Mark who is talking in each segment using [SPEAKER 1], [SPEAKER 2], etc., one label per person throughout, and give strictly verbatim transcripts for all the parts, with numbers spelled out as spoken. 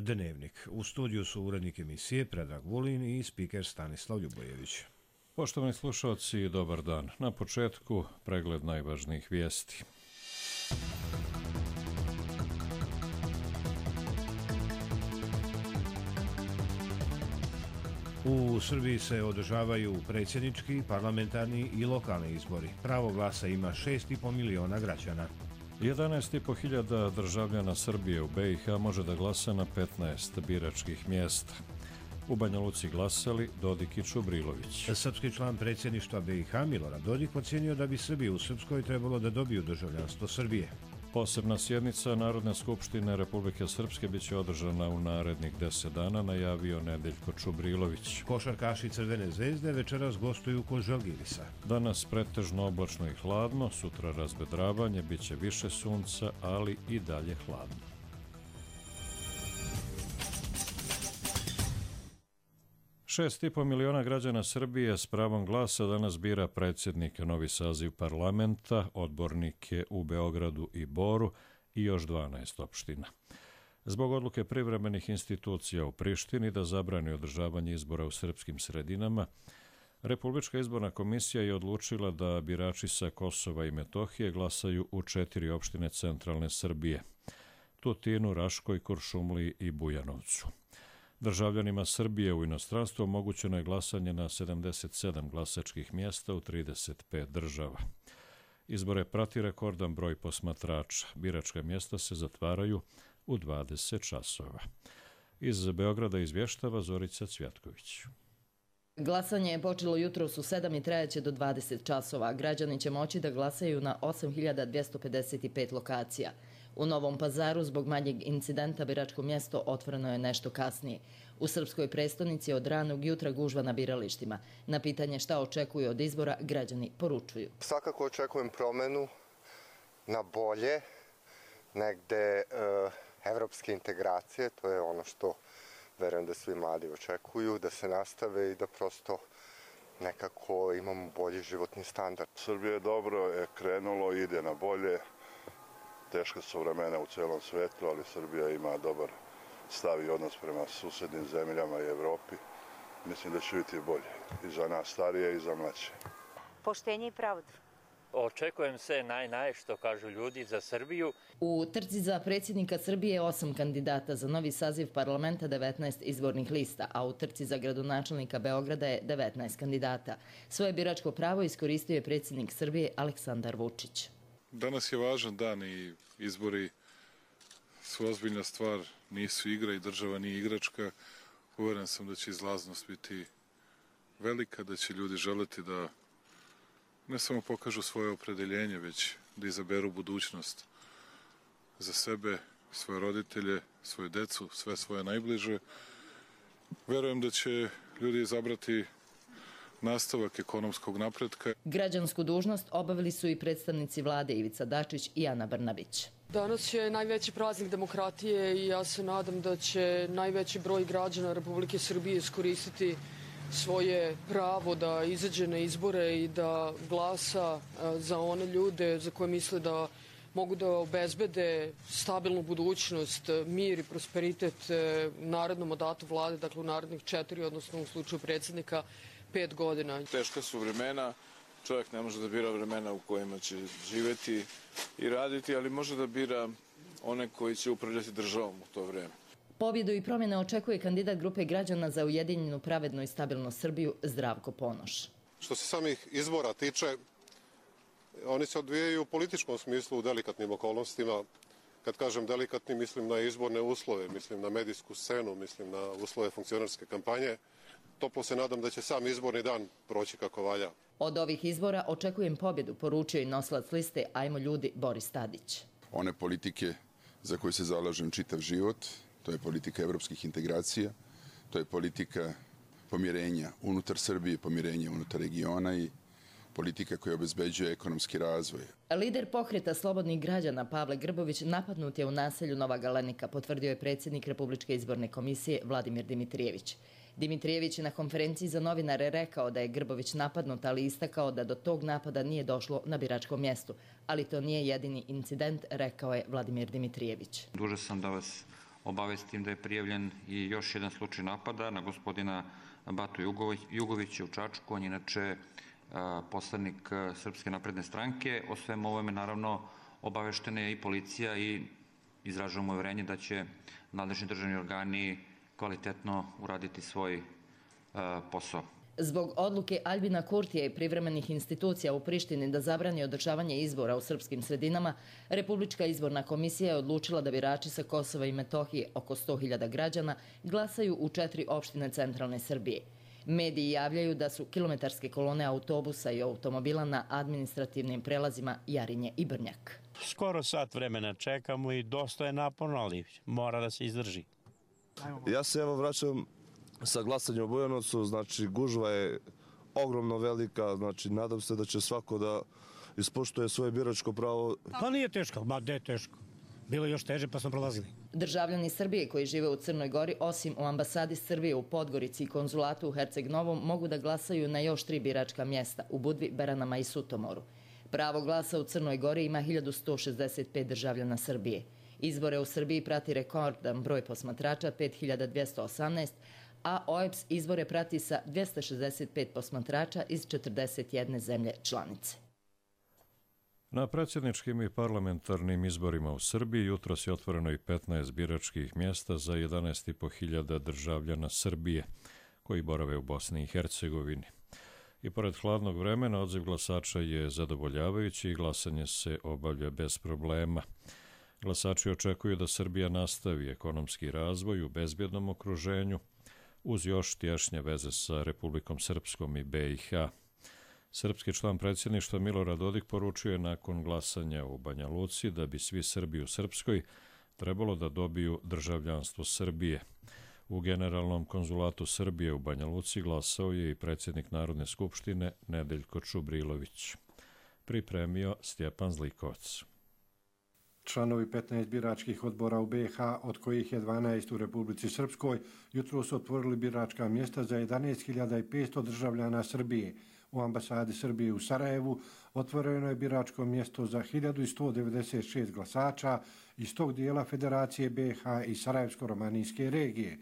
[SPEAKER 1] Dnevnik. U studiju su urednik emisije Predrag Vulin i spiker Stanislav Ljubojević.
[SPEAKER 2] Poštovani slušalci, dobar dan. Na početku pregled najvažnijih vijesti.
[SPEAKER 1] U Srbiji se održavaju predsjednički, parlamentarni i lokalni izbori. Pravo glasa ima šest i po miliona građana.
[SPEAKER 2] jedanaest i po hiljada državljana Srbije u B i H može da glasa na petnaest biračkih mjesta. U Banja Luci glasali Dodik i Čubrilović.
[SPEAKER 1] Srpski član predsjedništva B i H Milorad Dodik ocjenio da bi Srbi u Srpskoj trebalo da dobiju državljanstvo Srbije.
[SPEAKER 2] Posebna sjednica Narodne skupštine Republike Srpske biće održana u narednih deset dana, najavio Nedeljko Čubrilović.
[SPEAKER 1] Košarkaši Crvene zvezde večeras gostuju kod Žalgirisa.
[SPEAKER 2] Danas pretežno oblačno i hladno, sutra razvedravanje, biće više sunca, ali i dalje hladno. Šest i po miliona građana Srbije s pravom glasa danas bira predsjednika novi saziv parlamenta, odbornike u Beogradu i Boru i još dvanaest opština. Zbog odluke privremenih institucija u Prištini da zabrani održavanje izbora u srpskim sredinama, Republička izborna komisija je odlučila da birači sa Kosova i Metohije glasaju u četiri opštine centralne Srbije: Tutinu, Raškoj, Kuršumliji i Bujanovcu. Državljanima Srbije u inostranstvu omogućeno je glasanje na sedamdeset sedam glasačkih mjesta u trideset pet država. Izbore prati rekordan broj posmatrača. Biračka mjesta se zatvaraju u dvadeset časova. Iz Beograda izvještava Zorica Cvjatković.
[SPEAKER 3] Glasanje je počelo jutros u sedam i trajaće do dvadeset časova. Građani će moći da glasaju na osam hiljada dvjesto pedeset pet lokacija. U Novom Pazaru zbog manjeg incidenta biračko mjesto otvoreno je nešto kasnije. U srpskoj prestonici od ranog jutra gužva na biralištima. Na pitanje šta očekuju od izbora, građani poručuju.
[SPEAKER 4] Svakako očekujem promenu na bolje, negde e, evropske integracije, to je ono što verujem da svi mladi očekuju, da se nastave i da prosto nekako imamo bolji životni standard.
[SPEAKER 5] Srbija je dobro je krenulo, ide na bolje. Teška su vremena u celom svetu, ali Srbija ima dobar stav i odnos prema susednim zemljama i Evropi. Mislim da će biti bolje i za nas starije i za mlađe.
[SPEAKER 6] Poštenje i pravdu. Očekujem sve naj, naj, što kažu ljudi, za Srbiju.
[SPEAKER 3] U trci za predsjednika Srbije osam kandidata, za novi saziv parlamenta devetnaest izbornih lista, a u trci za gradonačelnika Beograda je devetnaest kandidata. Svoje biračko pravo iskoristio je predsjednik Srbije Aleksandar Vučić.
[SPEAKER 7] Danas je važan dan i izbori su ozbiljna stvar, nisu igra i država nije igračka. Uveren sam da će izlaznost biti velika, da će ljudi želeti da ne samo pokažu svoje opredeljenje, već da izaberu budućnost za sebe, svoje roditelje, svoje decu, sve svoje najbliže. Verujem da će ljudi izabrati nastavak ekonomskog napretka.
[SPEAKER 3] Građansku dužnost obavili su i predstavnici vlade Ivica Dačić i Ana Brnabić.
[SPEAKER 8] Danas je najveći praznik demokratije i ja se nadam da će najveći broj građana Republike Srbije iskoristiti svoje pravo da izađe na izbore i da glasa za one ljude za koje misle da mogu da obezbede stabilnu budućnost, mir i prosperitet u narednom mandatu vlade, dakle u narednih četiri, odnosno u slučaju predsjednika, pet godina.
[SPEAKER 9] Teška su vremena, čovjek ne može da bira vremena u kojima će živjeti i raditi, ali može da bira one koji će upravljati državom u to vreme.
[SPEAKER 3] Pobjedu i promjene očekuje kandidat grupe građana za ujedinjenu, pravednu i stabilnu Srbiju Zdravko Ponoš.
[SPEAKER 10] Što se samih izbora tiče, oni se odvijaju u političkom smislu u delikatnim okolnostima. Kad kažem delikatni, mislim na izborne uslove, mislim na medijsku scenu, mislim na uslove funkcionarske kampanje. Toplo se nadam da će sam izborni dan proći kako valja.
[SPEAKER 3] Od ovih izbora očekujem pobjedu, poručio i nosilac liste Ajmo ljudi Boris Tadić.
[SPEAKER 11] One politike za koje se zalažem čitav život, to je politika evropskih integracija, to je politika pomirenja unutar Srbije, pomirenja unutar regiona i politika koja obezbeđuje ekonomski razvoj.
[SPEAKER 3] Lider pokreta slobodnih građana Pavle Grbović napadnut je u naselju Nova Galenika, potvrdio je predsjednik Republičke izborne komisije Vladimir Dimitrijević. Dimitrijević je na konferenciji za novinare rekao da je Grbović napadnut, ali istakao da do tog napada nije došlo na biračkom mjestu. Ali to nije jedini incident, rekao je Vladimir Dimitrijević.
[SPEAKER 12] Dužan sam da vas obavestim da je prijavljen i još jedan slučaj napada na gospodina Batu Jugovića u Čačku. On je inače poslanik Srpske napredne stranke. O svemu ovome naravno obaveštena je i policija i izražavamo uverenje da će nadležni državni organi kvalitetno uraditi svoj posao.
[SPEAKER 3] Zbog odluke Aljbina Kurtija i privremenih institucija u Prištini da zabrani održavanje izbora u srpskim sredinama, Republička izborna komisija je odlučila da birači sa Kosova i Metohije, oko sto hiljada građana, glasaju u četiri opštine centralne Srbije. Mediji javljaju da su kilometarske kolone autobusa i automobila na administrativnim prelazima Jarinje i Brnjak.
[SPEAKER 13] Skoro sat vremena čekamo i dosta je naporno, ali mora da se izdrži.
[SPEAKER 14] Ja se evo vraćam sa glasanjem u Bujanovcu, znači gužva je ogromno velika, znači nadam se da će svako da ispoštuje svoje biračko pravo.
[SPEAKER 13] Pa nije teško, ma gde je teško. Bilo je još teže pa smo prolazili.
[SPEAKER 3] Državljani Srbije koji žive u Crnoj Gori, osim u ambasadi Srbije u Podgorici i konzulatu u Herceg Novom, mogu da glasaju na još tri biračka mjesta u Budvi, Beranama i Sutomoru. Pravo glasa u Crnoj Gori ima hiljadu sto šezdeset pet državljana Srbije. Izbore u Srbiji prati rekordan broj posmatrača, pet hiljada dvjesto osamnaest, a O E B S izbore prati sa dvjesto šezdeset pet posmatrača iz četrdeset jedne zemlje članice.
[SPEAKER 2] Na predsjedničkim i parlamentarnim izborima u Srbiji jutros je otvoreno i petnaest biračkih mjesta za jedanaest i po hiljada državljana Srbije koji borave u Bosni i Hercegovini. I pored hladnog vremena odziv glasača je zadovoljavajući i glasanje se obavlja bez problema. Glasači očekuju da Srbija nastavi ekonomski razvoj u bezbjednom okruženju uz još tješnje veze sa Republikom Srpskom i B i H. Srpski član predsjedništva Milorad Dodik poručuje nakon glasanja u Banja Luci da bi svi Srbi u Srpskoj trebalo da dobiju državljanstvo Srbije. U Generalnom konzulatu Srbije u Banja Luci glasao je i predsjednik Narodne skupštine Nedeljko Čubrilović. Pripremio Stjepan Zlikovac.
[SPEAKER 15] Članovi petnaest biračkih odbora u B i H, od kojih je dvanaest u Republici Srpskoj, jutro su otvorili biračka mjesta za jedanaest hiljada petsto državljana Srbije. U ambasadi Srbije u Sarajevu otvoreno je biračko mjesto za hiljadu sto devedeset šest glasača iz tog dijela Federacije B i H i Sarajevsko-romanijske regije.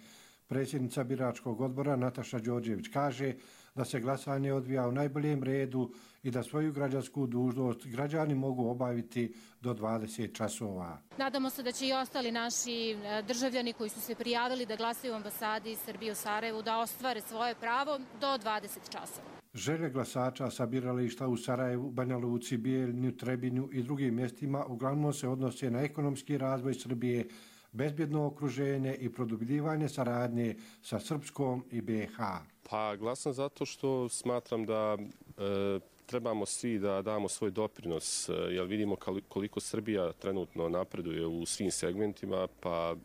[SPEAKER 15] Predsjednica biračkog odbora Nataša Đorđević kaže da se glasanje odvija u najboljem redu i da svoju građansku dužnost građani mogu obaviti do dvadeset časova.
[SPEAKER 16] Nadamo se da će i ostali naši državljani koji su se prijavili da glasaju u ambasadi Srbije u Sarajevu da ostvare svoje pravo do dvadeset časova.
[SPEAKER 15] Želje glasača sa birališta u Sarajevu, Banja Luci, Bijeljinu, Trebinju i drugim mjestima uglavnom se odnose na ekonomski razvoj Srbije, bezbjedno okruženje i produbljivanje saradnje sa Srpskom i B i H.
[SPEAKER 17] Pa glasam zato što smatram da e, trebamo svi da damo svoj doprinos, jer vidimo koliko Srbija trenutno napreduje u svim segmentima, pa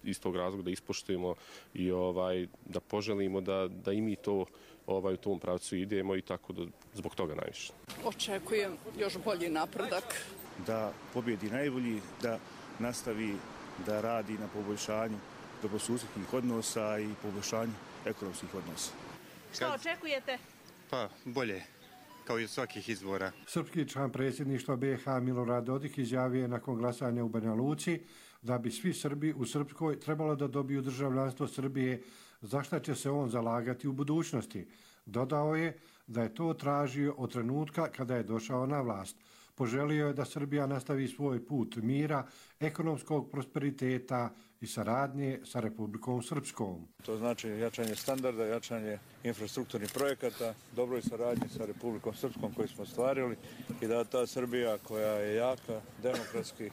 [SPEAKER 17] iz tog razloga da ispoštujemo i ovaj, da poželimo da, da i mi to ovaj, u tom pravcu idemo i tako da zbog toga najviše.
[SPEAKER 18] Očekujem još bolji napredak.
[SPEAKER 19] Da pobjedi najbolji, da nastavi da radi na poboljšanju dobrosusjedskih odnosa i poboljšanju ekonomskih odnosa.
[SPEAKER 20] Šta očekujete?
[SPEAKER 21] Pa bolje, kao i od svakih izbora.
[SPEAKER 15] Srpski član predsjedništva B i H Milorad Dodik izjavio je nakon glasanja u Banja Luci da bi svi Srbi u Srpskoj trebalo da dobiju državljanstvo Srbije, za šta će se on zalagati u budućnosti. Dodao je da je to tražio od trenutka kada je došao na vlast. Poželio je da Srbija nastavi svoj put mira, ekonomskog prosperiteta i saradnje sa Republikom Srpskom.
[SPEAKER 22] To znači jačanje standarda, jačanje infrastrukturnih projekata, dobroj saradnji sa Republikom Srpskom koju smo ostvarili i da ta Srbija koja je jaka, demokratski,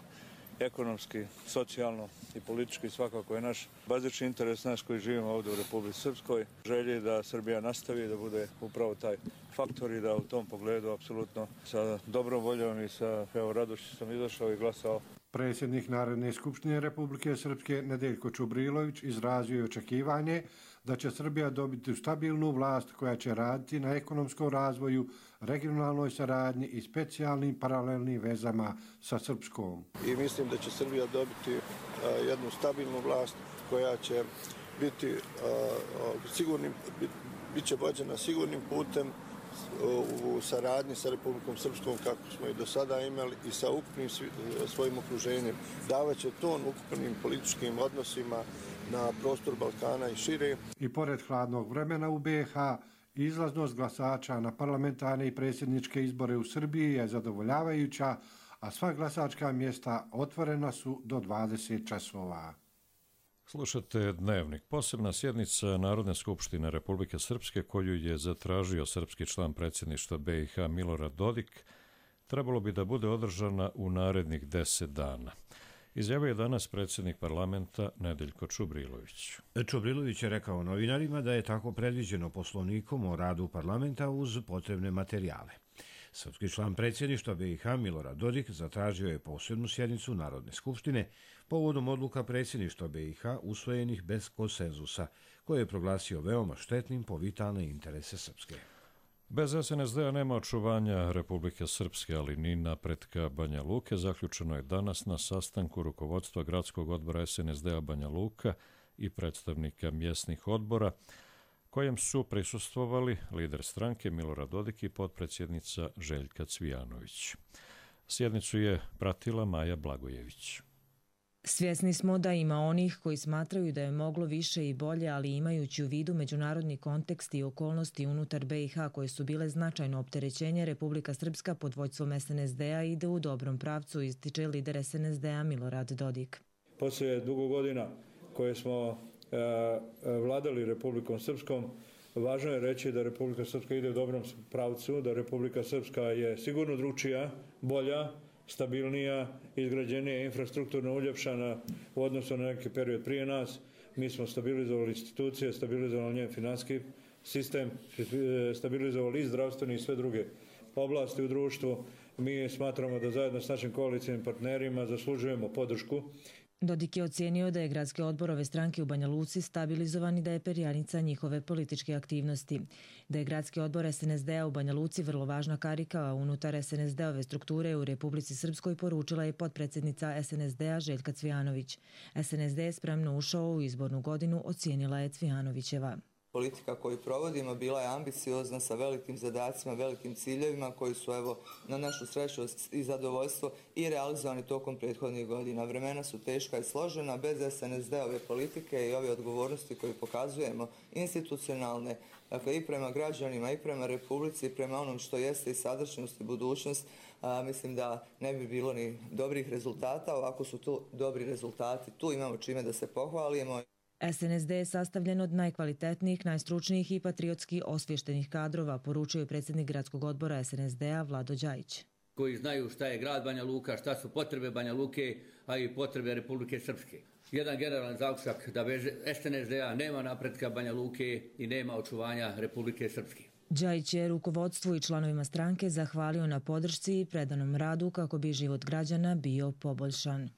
[SPEAKER 22] ekonomski, socijalno i politički svakako je naš bazični interes nas koji živimo ovdje u Republici Srpskoj. Želji da Srbija nastavi da bude upravo taj faktor i da u tom pogledu apsolutno sa dobrom voljom i sa evo radošću sam izašao i glasao.
[SPEAKER 15] Predsjednik Narodne skupštine Republike Srpske Nedeljko Čubrilović izrazio je očekivanje da će Srbija dobiti stabilnu vlast koja će raditi na ekonomskom razvoju, regionalnoj saradnji i specijalnim paralelnim vezama sa Srpskom.
[SPEAKER 23] I mislim da će Srbija dobiti jednu stabilnu vlast koja će biti sigurnim, bit će vođena sigurnim putem u saradnji sa Republikom Srpskom kako smo i do sada imali i sa ukupnim svojim okruženjem. Davaće ton ukupnim političkim odnosima na prostor Balkana i šire.
[SPEAKER 15] I pored hladnog vremena u B H, izlaznost glasača na parlamentarne i predsjedničke izbore u Srbiji je zadovoljavajuća, a sva glasačka mjesta otvorena su do dvadeset časova.
[SPEAKER 2] Slušate Dnevnik. Posebna sjednica Narodne skupštine Republike Srpske, koju je zatražio srpski član predsjedništva B i H Milorad Dodik, trebalo bi da bude održana u narednih deset dana. Izjavio je danas predsjednik parlamenta Nedeljko Čubrilović.
[SPEAKER 1] Čubrilović je rekao novinarima da je tako predviđeno poslovnikom o radu parlamenta uz potrebne materijale. Srpski član predsjedništva B i H Milorad Dodik zatražio je posebnu sjednicu Narodne skupštine povodom odluka predsjedništva B i H usvojenih bez konsenzusa, koje je proglasio veoma štetnim po vitalne interese Srpske.
[SPEAKER 2] Bez S N S D-a nema očuvanja Republike Srpske, ali ni napretka Banja Luke. Zaključeno je danas na sastanku rukovodstva gradskog odbora S N S D-a Banja Luka i predstavnika mjesnih odbora, kojem su prisustvovali lider stranke Milorad Dodik i potpredsjednica Željka Cvijanović. Sjednicu je pratila Maja Blagojević.
[SPEAKER 4] Svjesni smo da ima onih koji smatraju da je moglo više i bolje, ali imajući u vidu međunarodni kontekst i okolnosti unutar B i H koje su bile značajno opterećenje, Republika Srpska pod vođstvom S N S D-a ide u dobrom pravcu, ističe lider S N S D-a Milorad Dodik.
[SPEAKER 22] Poslije dugo godina koje smo e, vladali Republikom Srpskom, važno je reći da Republika Srpska ide u dobrom pravcu, da Republika Srpska je sigurno drugčija, bolja, stabilnija, izgrađenija, infrastrukturno uljepšana u odnosu na neki period prije nas. Mi smo stabilizovali institucije, stabilizovali njen financijski sistem, stabilizovali i zdravstveni i sve druge oblasti u društvu. Mi smatramo da zajedno s našim koalicijnim partnerima zaslužujemo podršku.
[SPEAKER 4] Dodik je ocijenio da je gradski odbor ove stranke u Banja Luci stabilizovan i da je perjanica njihove političke aktivnosti. Da je gradski odbor S N S D-a u Banja Luci vrlo važna karika unutar S N S D-ove strukture u Republici Srpskoj, poručila je potpredsjednica S N S D-a Željka Cvijanović. S N S D je spremno ušao u izbornu godinu, ocijenila je Cvijanovićeva.
[SPEAKER 20] Politika koju provodimo bila je ambiciozna sa velikim zadacima, velikim ciljevima koji su evo na našu sreću i zadovoljstvo i realizovani tokom prethodnih godina. Vremena su teška i složena, bez S N S D-ove politike i ove odgovornosti koje pokazujemo institucionalne, dakle i prema građanima i prema Republici i prema onom što jeste i sadašnjost i budućnost, a, mislim da ne bi bilo ni dobrih rezultata. Ovako su tu dobri rezultati, tu imamo čime da se pohvalimo.
[SPEAKER 4] S N S D je sastavljen od najkvalitetnijih, najstručnijih i patriotski osvještenih kadrova, poručio je predsjednik gradskog odbora S N S D-a Vlado Đajić.
[SPEAKER 24] Koji znaju šta je grad Banja Luka, šta su potrebe Banja Luke, a i potrebe Republike Srpske. Jedan generalan zaključak da bez S N S D-a nema napretka Banja Luke i nema očuvanja Republike Srpske.
[SPEAKER 4] Đajić je rukovodstvu i članovima stranke zahvalio na podršci i predanom radu kako bi život građana bio poboljšan.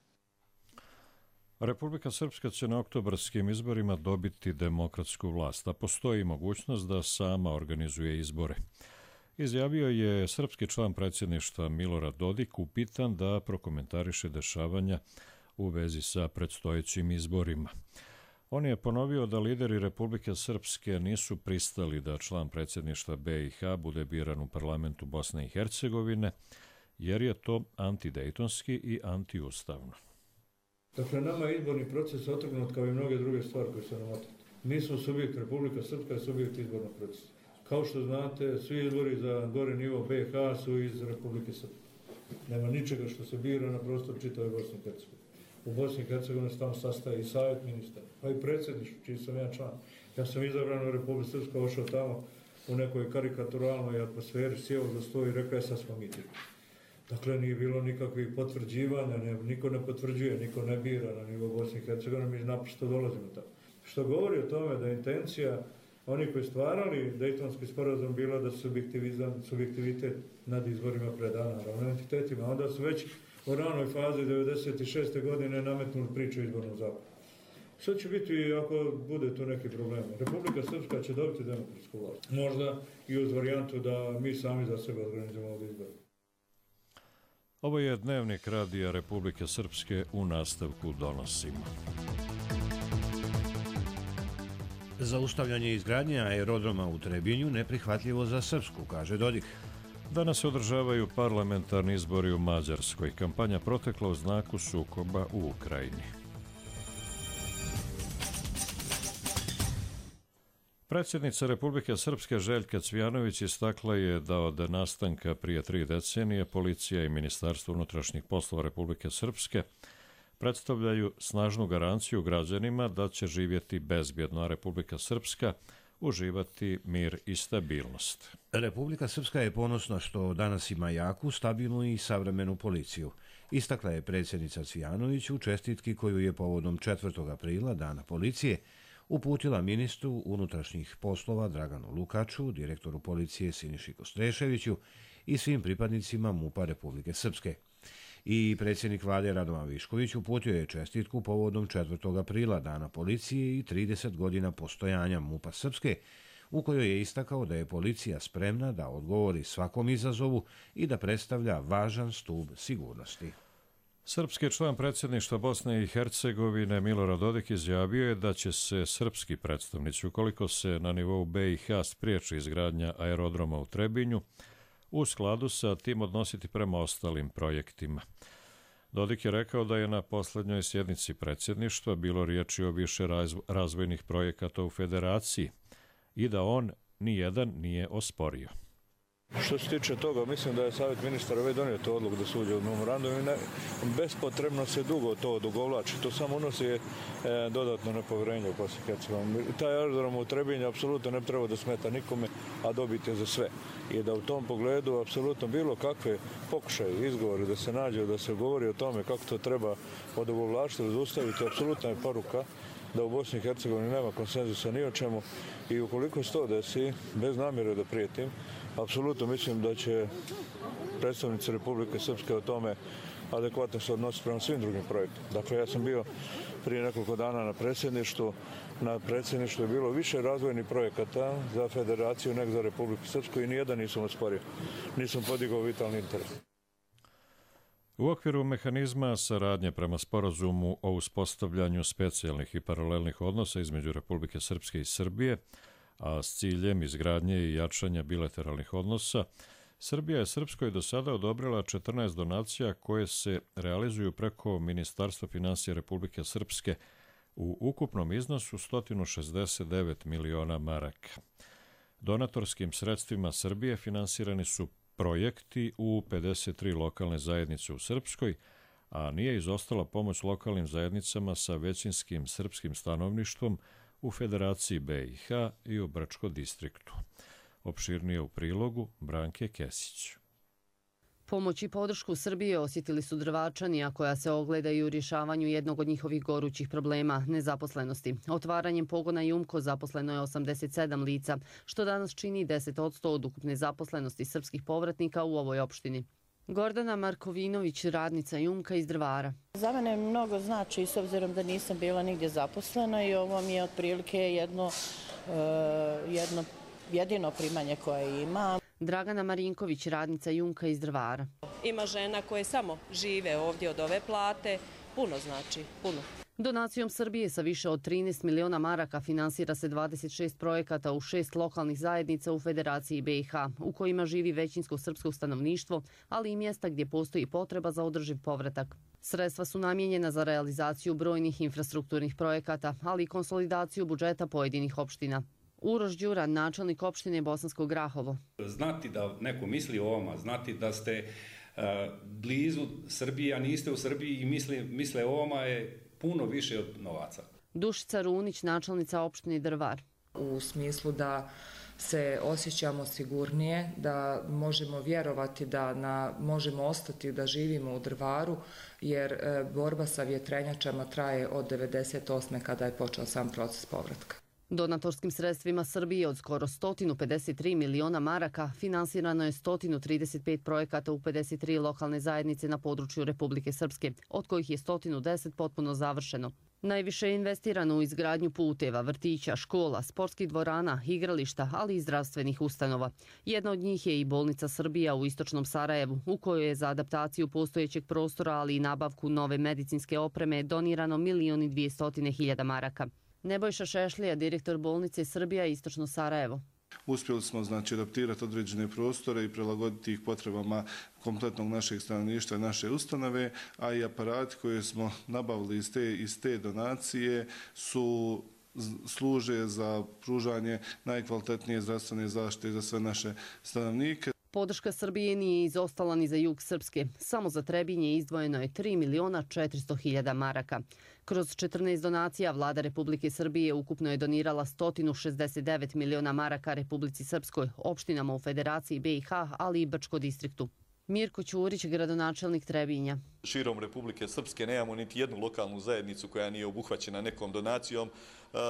[SPEAKER 2] Republika Srpska će na oktobarskim izborima dobiti demokratsku vlast, a postoji mogućnost da sama organizuje izbore. Izjavio je srpski član predsjedništva Milorad Dodik, upitan da prokomentariše dešavanja u vezi sa predstojećim izborima. On je ponovio da lideri Republike Srpske nisu pristali da član predsjedništva B i H bude biran u parlamentu Bosne i Hercegovine, jer je to antidejtonski i antiustavno.
[SPEAKER 22] Dakle, nama je izborni proces otrgnut kao i mnoge druge stvari koje su nam otrgnute. Mi smo subjekt, Republika Srpska je subjekt izbornog procesa. Kao što znate, svi izbori za gore nivo B i H su iz Republike Srpske. Nema ničega što se bira na prostoru čitave Bosne i Hercegovine. U Bosni i Hercegovini se tamo sastaje i savjet ministara, pa i predsjedništvo, čiji sam ja član. Ja sam izabran u Republike Srpske, ošao tamo u nekoj karikaturalnoj atmosferi, sjeo za sto i rekao je sad smo mi ti. Dakle, nije bilo nikakvih potvrđivanja, ne, niko ne potvrđuje, niko ne bira na nivo Bosne i Hercegovine, mi naprosto dolazimo tamo. Što govori o tome da je intencija oni koji stvarali Dejtonski sporazum bila da su subjektivitet nad izborima predana naravno entitetima. Onda su već u ranoj fazi devedeset šeste godine nametnuli priču o izbornom zakonu. Što će biti ako bude tu neki problem? Republika Srpska će dobiti demokratsku vlast. Možda i uz varijantu da mi sami za sebe organizujemo ovdje izbore.
[SPEAKER 2] Ovo je Dnevnik radija Republike Srpske, u nastavku donosimo.
[SPEAKER 1] Zaustavljanje izgradnje aerodroma u Trebinju neprihvatljivo za Srpsku, kaže Dodik.
[SPEAKER 2] Danas se održavaju parlamentarni izbori u Mađarskoj. Kampanja protekla u znaku sukoba u Ukrajini. Predsjednica Republike Srpske Željka Cvijanović istakla je da od nastanka prije tri decenije policija i Ministarstvo unutrašnjih poslova Republike Srpske predstavljaju snažnu garanciju građanima da će živjeti bezbjedno, a Republika Srpska uživati mir i stabilnost.
[SPEAKER 1] Republika Srpska je ponosna što danas ima jaku, stabilnu i savremenu policiju. Istakla je predsjednica Cvijanović u čestitki koju je povodom četvrtog aprila, Dana policije, uputila ministru unutrašnjih poslova Draganu Lukaču, direktoru policije Siniši Kostreševiću i svim pripadnicima MUP-a Republike Srpske. I predsjednik vlade Radovan Višković uputio je čestitku povodom četvrtog aprila, Dana policije i trideset godina postojanja MUP-a Srpske, u kojoj je istakao da je policija spremna da odgovori svakom izazovu i da predstavlja važan stub sigurnosti.
[SPEAKER 2] Srpski član predsjedništva Bosne i Hercegovine Milorad Dodik izjavio je da će se srpski predstavnici, ukoliko se na nivou B i H spriječi izgradnja aerodroma u Trebinju, u skladu sa tim odnositi prema ostalim projektima. Dodik je rekao da je na posljednjoj sjednici predsjedništva bilo riječi o više razvojnih projekata u federaciji i da on nijedan nije osporio.
[SPEAKER 22] Što se tiče toga, mislim da je Savjet ministara već donio tu odluku da se uđe u memorandum i ne, bespotrebno se dugo to odugovlači. To samo unosi e, dodatno nepovjerenje u Bosni i Hercegovini. Taj aerodrom u Trebinju apsolutno ne treba da smeta nikome, a dobiti je za sve. I da u tom pogledu apsolutno bilo kakve pokušaje, izgovori da se nađe, da se govori o tome kako to treba odugovlačiti, zaustaviti, apsolutna je poruka da u Bosni i Hercegovini nema konsenzusa ni o čemu i ukoliko se to desi, bez namjere da prijetim, apsolutno mislim da će predstavnici Republike Srpske o tome adekvatno se odnositi prema svim drugim projektima. Dakle, ja sam bio prije nekoliko dana na predsjedništvu. Na predsjedništvu je bilo više razvojnih projekata za federaciju nego za Republiku Srpsku i nijedan nisam osporio. Nisam podigao vitalni interes.
[SPEAKER 2] U okviru mehanizma saradnje prema sporazumu o uspostavljanju specijalnih i paralelnih odnosa između Republike Srpske i Srbije, a s ciljem izgradnje i jačanja bilateralnih odnosa, Srbija je Srpskoj do sada odobrila četrnaest donacija koje se realizuju preko Ministarstva finansija Republike Srpske u ukupnom iznosu sto šezdeset devet miliona maraka. Donatorskim sredstvima Srbije finansirani su projekti u pedeset tri lokalne zajednice u Srpskoj, a nije izostala pomoć lokalnim zajednicama sa većinskim srpskim stanovništvom u Federaciji B i H i u Brčko distriktu. Opširnije u prilogu Branke Kesić.
[SPEAKER 5] Pomoć i podršku Srbije osjetili su Drvačani, a koja se ogledaju u rješavanju jednog od njihovih gorućih problema, nezaposlenosti. Otvaranjem pogona Jumko zaposleno je osamdeset sedam lica, što danas čini deset posto od ukupne zaposlenosti srpskih povratnika u ovoj opštini. Gordana Markovinović, radnica Jumka iz Drvara.
[SPEAKER 6] Za mene mnogo znači, s obzirom da nisam bila nigdje zaposlena i ovo mi je otprilike jedno, jedno jedino primanje koje ima.
[SPEAKER 5] Dragana Marinković, radnica Jumka iz Drvara.
[SPEAKER 7] Ima žena koje samo žive ovdje od ove plate, puno znači, puno.
[SPEAKER 5] Donacijom Srbije sa više od trinaest miliona maraka finansira se dvadeset šest projekata u šest lokalnih zajednica u Federaciji B i H, u kojima živi većinsko srpsko stanovništvo, ali i mjesta gdje postoji potreba za održiv povratak. Sredstva su namijenjena za realizaciju brojnih infrastrukturnih projekata, ali i konsolidaciju budžeta pojedinih opština. Uroš Đuran, načelnik opštine Bosansko Grahovo.
[SPEAKER 8] Znati da neko misli o vama, znati da ste uh, blizu Srbije, a niste u Srbiji i misle, misle o vama je puno više od novaca.
[SPEAKER 5] Dušica Runić, načelnica opštine Drvar.
[SPEAKER 25] U smislu da se osjećamo sigurnije, da možemo vjerovati da na, možemo ostati da živimo u Drvaru, jer e, borba sa vjetrenjačama traje od devedeset osme kada je počeo sam proces povratka.
[SPEAKER 5] Donatorskim sredstvima Srbije od skoro sto pedeset tri miliona maraka finansirano je sto trideset pet projekata u pedeset tri lokalne zajednice na području Republike Srpske, od kojih je sto deset potpuno završeno. Najviše je investirano u izgradnju puteva, vrtića, škola, sportskih dvorana, igrališta, ali i zdravstvenih ustanova. Jedna od njih je i bolnica Srbija u istočnom Sarajevu, u kojoj je za adaptaciju postojećeg prostora, ali i nabavku nove medicinske opreme donirano milion i dvjesto hiljada maraka. Nebojša Šešlija, direktor bolnice Srbija Istočno Sarajevo.
[SPEAKER 9] Uspjeli smo znači adaptirati određene prostore i prilagoditi ih potrebama kompletnog našeg stanovništva i naše ustanove, a i aparati koje smo nabavili iz te, iz te donacije su služe za pružanje najkvalitetnije zdravstvene zaštite za sve naše stanovnike.
[SPEAKER 5] Podrška Srbije nije izostala ni za jug Srpske. Samo za Trebinje izdvojeno je tri miliona četiristo hiljada maraka. Kroz četrnaest donacija vlada Republike Srbije ukupno je donirala sto šezdeset devet miliona maraka Republici Srpskoj, opštinama u Federaciji B i H, ali i Brčko distriktu. Mirko Ćurić, gradonačelnik Trebinja.
[SPEAKER 10] Širom Republike Srpske nemamo niti jednu lokalnu zajednicu koja nije obuhvaćena nekom donacijom.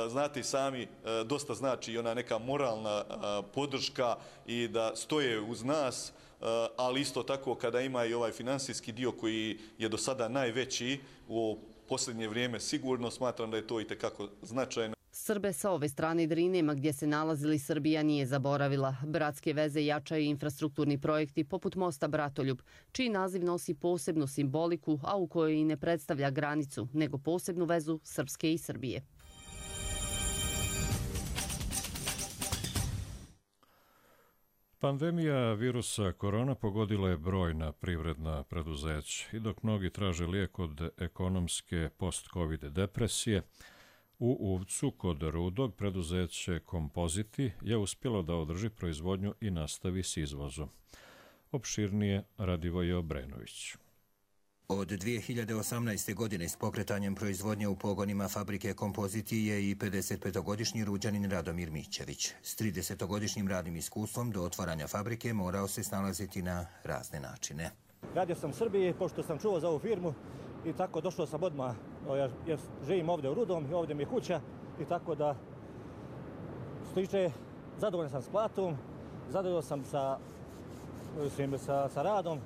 [SPEAKER 10] Znate i sami, dosta znači i ona neka moralna podrška i da stoje uz nas, ali isto tako kada ima i ovaj finansijski dio koji je do sada najveći u posljednje vrijeme, sigurno smatram da je to itekako značajno.
[SPEAKER 5] Srbe sa ove strane Drinema gdje se nalazili Srbija nije zaboravila. Bratske veze jačaju infrastrukturni projekti poput mosta Bratoljub, čiji naziv nosi posebnu simboliku, a u kojoj i ne predstavlja granicu, nego posebnu vezu Srpske i Srbije.
[SPEAKER 2] Pandemija virusa korona pogodila je brojna privredna preduzeća i dok mnogi traže lijek od ekonomske post-covid depresije, u Uvcu kod Rudog preduzeće Kompoziti je uspjelo da održi proizvodnju i nastavi s izvozom. Opširnije Radivoje Obrenović.
[SPEAKER 11] Od dvije hiljade osamnaeste. godine s pokretanjem proizvodnje u pogonima fabrike Kompoziti je i pedesetpetogodišnji Ruđanin Radomir Mićević. S tridesetogodišnjim radnim iskustvom do otvaranja fabrike morao se snalaziti na razne načine.
[SPEAKER 12] Radio sam u Srbiji, pošto sam čuo za ovu firmu i tako došao sam odmah, jer živim ovdje u Rudom i ovdje mi je kuća i tako da stiče, zadovoljan sam s platom, zadovoljan sam sa, sa, sa radom.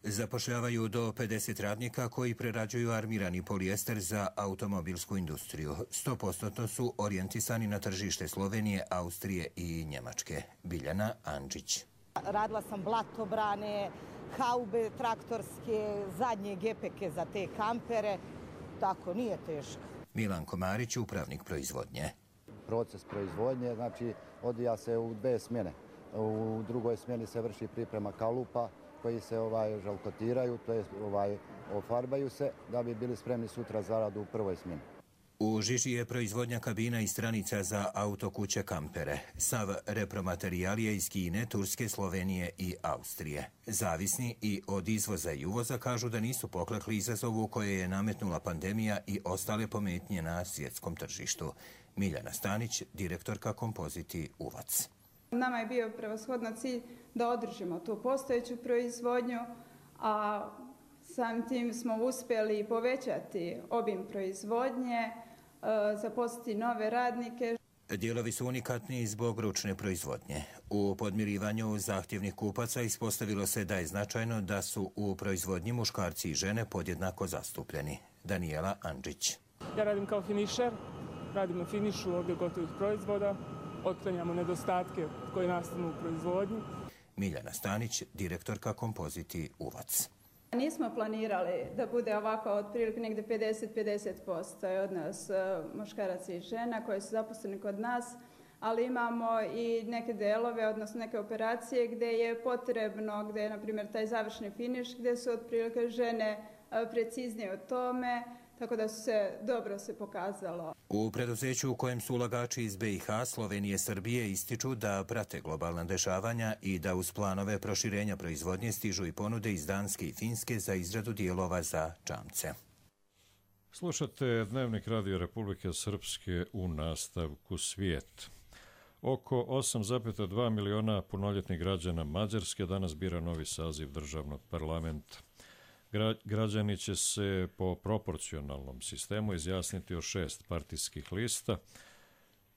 [SPEAKER 11] Zapošljavaju do pedeset radnika koji prerađuju armirani polijester za automobilsku industriju. sto posto su orijentisani na tržište Slovenije, Austrije i Njemačke. Biljana Andžić.
[SPEAKER 14] Radila sam blatobrane, haube traktorske, zadnje gepeke za te kampere. Tako, nije teško.
[SPEAKER 11] Milan Komarić, upravnik proizvodnje.
[SPEAKER 26] Proces proizvodnje, znači, odvija se u dve smjene. U drugoj smjeni se vrši priprema kalupa koji se ovaj žalkotiraju, to je ovaj ofarbaju se da bi bili spremni sutra za rad u prvoj smjeni.
[SPEAKER 11] U žiži je proizvodnja kabina i stranica za autokuće kampere. Sav repromaterijal je iz Kine, Turske, Slovenije i Austrije. Zavisni i od izvoza i uvoza kažu da nisu poklekli izazovu koje je nametnula pandemija i ostale pometnje na svjetskom tržištu. Miljana Stanić, direktorka Kompoziti Uvac.
[SPEAKER 27] Nama je bio prevashodno cilj da održimo tu postojeću proizvodnju, a samim tim smo uspjeli povećati obim proizvodnje, zaposliti nove radnike.
[SPEAKER 11] Dijelovi su unikatni zbog ručne proizvodnje. U podmirivanju zahtjevnih kupaca ispostavilo se da je značajno da su u proizvodnji muškarci i žene podjednako zastupljeni. Danijela Andžić.
[SPEAKER 28] Ja radim kao finišer, radim na finišu ovdje gotovih proizvoda, otklanjamo nedostatke koje nastanu u proizvodnji.
[SPEAKER 11] Miljana Stanić, direktorka Kompoziti Uvac.
[SPEAKER 27] Nismo planirali da bude ovako otprilike negdje pedeset pedeset posto od nas muškaraca i žena koji su zaposleni kod nas, ali imamo i neke delove, odnosno neke operacije gdje je potrebno, gdje je na primjer taj završni finiš, gdje su otprilike žene preciznije o tome, tako da su se dobro se pokazalo.
[SPEAKER 11] U preduzeću u kojem su ulagači iz B i H, Slovenije, Srbije ističu da prate globalna dešavanja i da uz planove proširenja proizvodnje stižu i ponude iz Danske i Finske za izradu dijelova za čamce.
[SPEAKER 2] Slušate Dnevnik Radio Republike Srpske u nastavku Svijet. Oko osam zarez dva miliona punoljetnih građana Mađarske danas bira novi saziv državnog parlamenta. Građani će se po proporcionalnom sistemu izjasniti o šest partijskih lista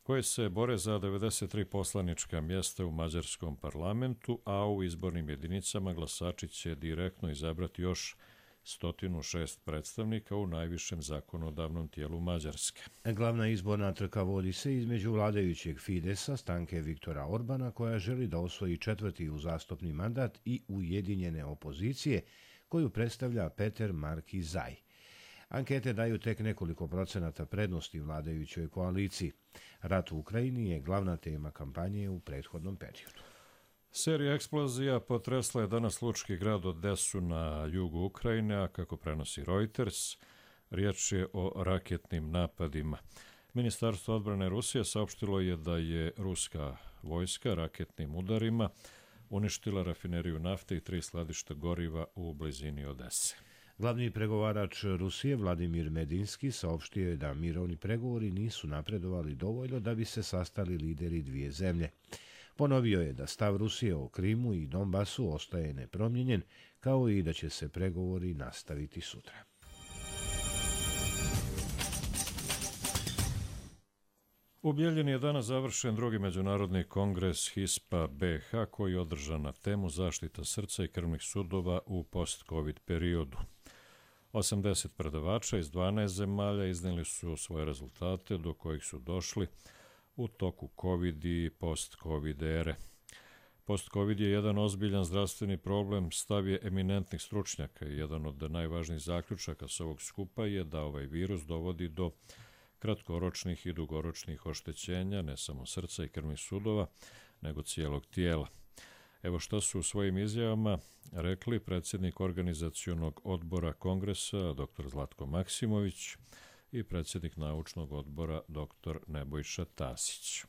[SPEAKER 2] koje se bore za devedeset tri poslanička mjesta u mađarskom parlamentu, a u izbornim jedinicama glasači će direktno izabrati još sto šest predstavnika u najvišem zakonodavnom tijelu Mađarske.
[SPEAKER 1] Glavna izborna trka vodi se između vladajućeg Fidesa, stranke Viktora Orbana, koja želi da osvoji četvrti uzastopni mandat, i ujedinjene opozicije, koju predstavlja Peter Marki Zaj. Ankete daju tek nekoliko procenata prednosti vladajućoj koaliciji. Rat u Ukrajini je glavna tema kampanje u prethodnom periodu.
[SPEAKER 2] Serija eksplozija potresla je danas lučki grad Odesu na jugu Ukrajine, a kako prenosi Reuters, riječ je o raketnim napadima. Ministarstvo odbrane Rusije saopštilo je da je ruska vojska raketnim udarima uništila rafineriju nafte i tri skladišta goriva u blizini Odese.
[SPEAKER 1] Glavni pregovarač Rusije Vladimir Medinski saopštio je da mirovni pregovori nisu napredovali dovoljno da bi se sastali lideri dvije zemlje. Ponovio je da stav Rusije o Krimu i Donbasu ostaje nepromijenjen, kao i da će se pregovori nastaviti sutra.
[SPEAKER 2] U Bijeljini je danas završen drugi međunarodni kongres HISPA B H koji je održan na temu zaštita srca i krvnih sudova u post-covid periodu. osamdeset predavača iz dvanaest zemalja iznijeli su svoje rezultate do kojih su došli u toku COVID i post-COVID ere. Post-COVID je jedan ozbiljan zdravstveni problem, stav je eminentnih stručnjaka i jedan od najvažnijih zaključaka s ovog skupa je da ovaj virus dovodi do kratkoročnih i dugoročnih oštećenja, ne samo srca i krvnih sudova, nego cijelog tijela. Evo što su u svojim izjavama rekli predsjednik organizacionog odbora kongresa dr Zlatko Maksimović i predsjednik naučnog odbora dr Nebojša Tasić.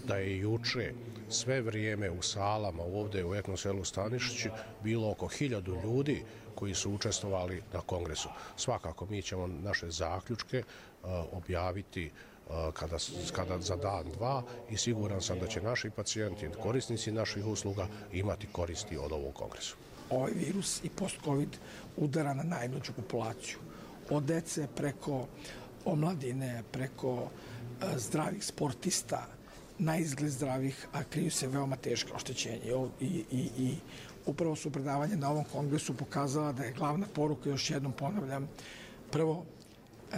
[SPEAKER 3] Da je juče sve vrijeme u salama ovdje u Etnoselu Stanišiću bilo oko hiljadu ljudi koji su učestvovali na kongresu. Svakako mi ćemo naše zaključke uh, objaviti uh, kada, kada za dan, dva i siguran sam da će naši pacijenti, korisnici naših usluga imati koristi od ovog kongresu.
[SPEAKER 13] Ovaj virus i post-covid udara na najmlađu populaciju. Od dece preko omladine, preko uh, zdravih sportista, na izgled zdravih, a kriju se veoma teške oštećenje. I, i, i upravo su predavanje na ovom kongresu pokazala da je glavna poruka, još jednom ponavljam, prvo, e,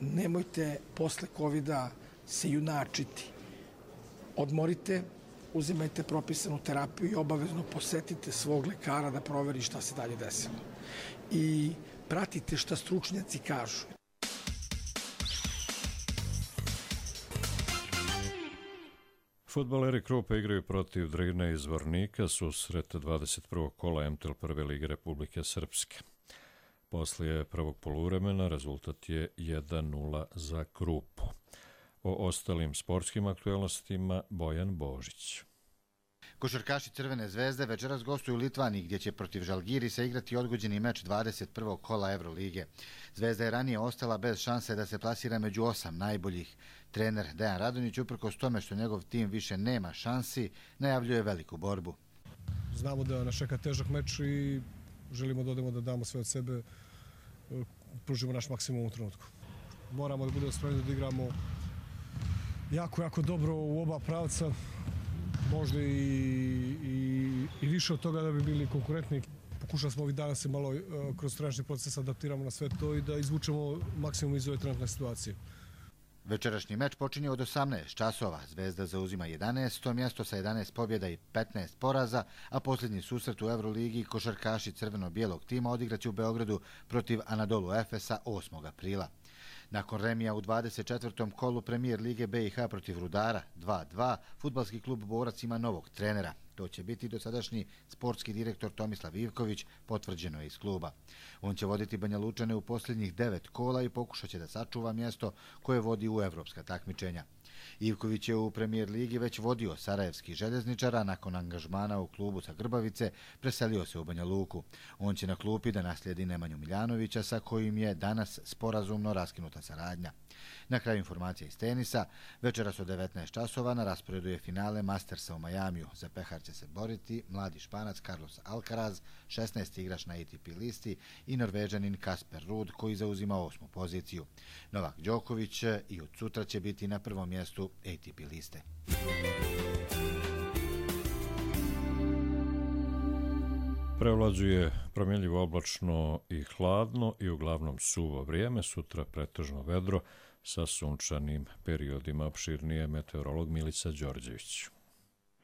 [SPEAKER 13] nemojte posle kovida se junačiti. Odmorite, uzimajte propisanu terapiju i obavezno posetite svog lekara da proveri šta se dalje desilo. I pratite šta stručnjaci kažu.
[SPEAKER 2] Fudbaleri Krupe igraju protiv Drine iz Vornika susret dvadeset prvog kola M T L prve lige Republike Srpske. Poslije prvog poluvremena rezultat je jedan nula za Krupu. O ostalim sportskim aktualnostima Bojan Božić.
[SPEAKER 16] Košarkaši Crvene zvezde večeras gostuju u Litvaniji gdje će protiv Žalgirisa igrati odgođeni meč dvadeset prvog kola Evrolige. Zvezda je ranije ostala bez šanse da se plasira među osam najboljih. Trener Dejan Radonjić, uprkos tome što njegov tim više nema šansi, najavljuje veliku borbu.
[SPEAKER 17] Znamo da nas čeka težak meč i želimo da odemo da damo sve od sebe, pružimo naš maksimum u trenutku. Moramo da budemo spremni da igramo jako, jako dobro u oba pravca, možda i, i, i više od toga da bi bili konkurentni. Pokušali smo ovih dana se malo kroz trenažni proces adaptiramo na sve to i da izvučemo maksimum iz ove trenutne situacije.
[SPEAKER 16] Večerašnji meč počinje od osamnaest časova. Zvezda zauzima jedanaesto mjesto sa jedanaest pobjeda i petnaest poraza, a posljednji susret u Euroligi košarkaši crveno-bijelog tima odigraće u Beogradu protiv Anadolu Efesa osmog aprila. Nakon remija u dvadeset četvrtom kolu Premijer Lige B i H protiv Rudara dva dva, fudbalski klub Borac ima novog trenera. To će biti dosadašnji sportski direktor Tomislav Ivković, potvrđeno je iz kluba. On će voditi Banja Lučane u posljednjih devet kola i pokušat će da sačuva mjesto koje vodi u evropska takmičenja. Ivković je u Premijer Ligi već vodio Sarajevski željezničar, a nakon angažmana u klubu sa Grbavice preselio se u Banja Luku. On će na klupi da naslijedi Nemanju Miljanovića, sa kojim je danas sporazumno raskinuta saradnja. Na kraju informacija iz tenisa, večeras od devetnaest časova na rasporedu je finale Mastersa u Majamiju. Za pehar će se boriti mladi Španac Carlos Alcaraz, šesnaesti igrač na A T P listi, i Norvežanin Kasper Ruud, koji zauzima osmu poziciju. Novak Đoković i od sutra će biti na prvom mjestu A T P liste.
[SPEAKER 2] Prevlađuje promjenljivo oblačno i hladno i uglavnom suvo vrijeme, sutra pretežno vedro sa sunčanim periodima. Opširnije meteorolog Milica Đorđević.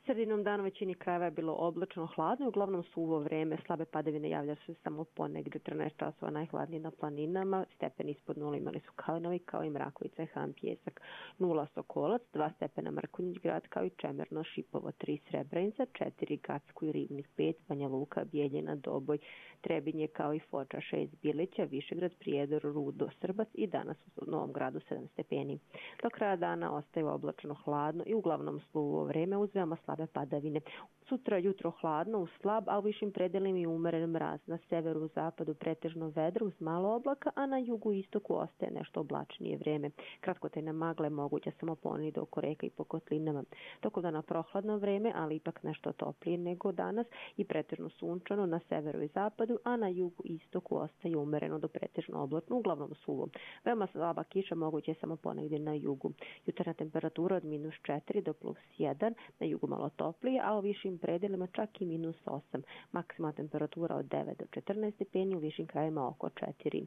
[SPEAKER 4] Sredinom dana u većini krajeva je bilo oblačno hladno i uglavnom suvo vreme. Slabe padavine javlja se samo ponegdje četrnaest časova, najhladnije na planinama. Stepeni ispod nula imali su Kalinovi kao i Mrakovica i Han Pjesak. Nula Sokolac, dva stepena Mrkonjić grad kao i Čemerno, Šipovo, tri Srebrenica, četiri Gacko i Ribnik, pet Banja Luka, Bijeljina, Doboj, Trebinje kao i Foča, šest Bilića, Višegrad, Prijedor, Rudo, Srbac i danas u Novom Gradu sedam stepeni. Do kraja dana ostaje oblačno hladno i uglavnom suvo vreme uz veoma slabe padavine. Sutra jutro hladno uz slab, a u višim predelima i umeren mraz. Na severu, zapadu pretežno vedro uz malo oblaka, a na jugu i istoku ostaje nešto oblačnije vreme. Kratkotrajna magla je moguća samo ponegdje oko reka i po kotlinama. Tokom dana prohladno vreme, ali ipak nešto toplije nego danas i pretežno sunčano na severu i zapadu, a na jugu i istoku ostaje umereno do pretežno oblačno, uglavnom suvo. Veoma slaba kiša moguća je samo ponegdje na jugu. Jutarnja temperatura od minus četiri do plus jedan, na jugu malo toplije, a u višim predelima čak i minus osam. Maksimalna temperatura od devet do četrnaest stepeni, u višim krajevima oko četiri.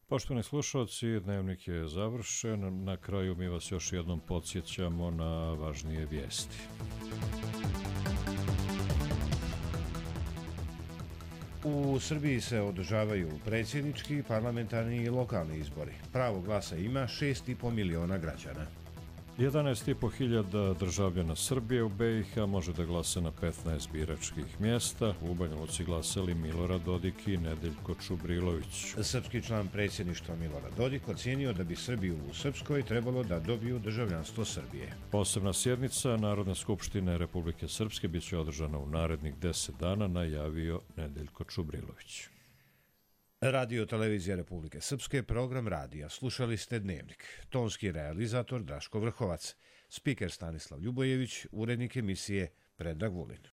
[SPEAKER 2] Poštovani slušalci, dnevnik je završen. Na kraju mi vas još jednom podsjećamo na važnije vijesti.
[SPEAKER 1] U Srbiji se održavaju predsjednički, parlamentarni i lokalni izbori. Pravo glasa ima šest i po miliona građana.
[SPEAKER 2] jedanaest i po hiljada državljana Srbije u be i ha može da glasa na petnaest biračkih mjesta. U Banja Luci glasali Milorad Dodik i Nedeljko Čubrilović.
[SPEAKER 1] Srpski član predsjedništva Milorad Dodik ocijenio da bi Srbi u Srpskoj trebalo da dobiju državljanstvo Srbije.
[SPEAKER 2] Posebna sjednica Narodne skupštine Republike Srpske bit će održana u narednih deset dana, najavio Nedeljko Čubrilović.
[SPEAKER 1] Radio Televizija Republike Srpske, program radija. Slušali ste Dnevnik. Tonski realizator Draško Vrhovac. Spiker Stanislav Ljubojević, urednik emisije Predrag Vulin.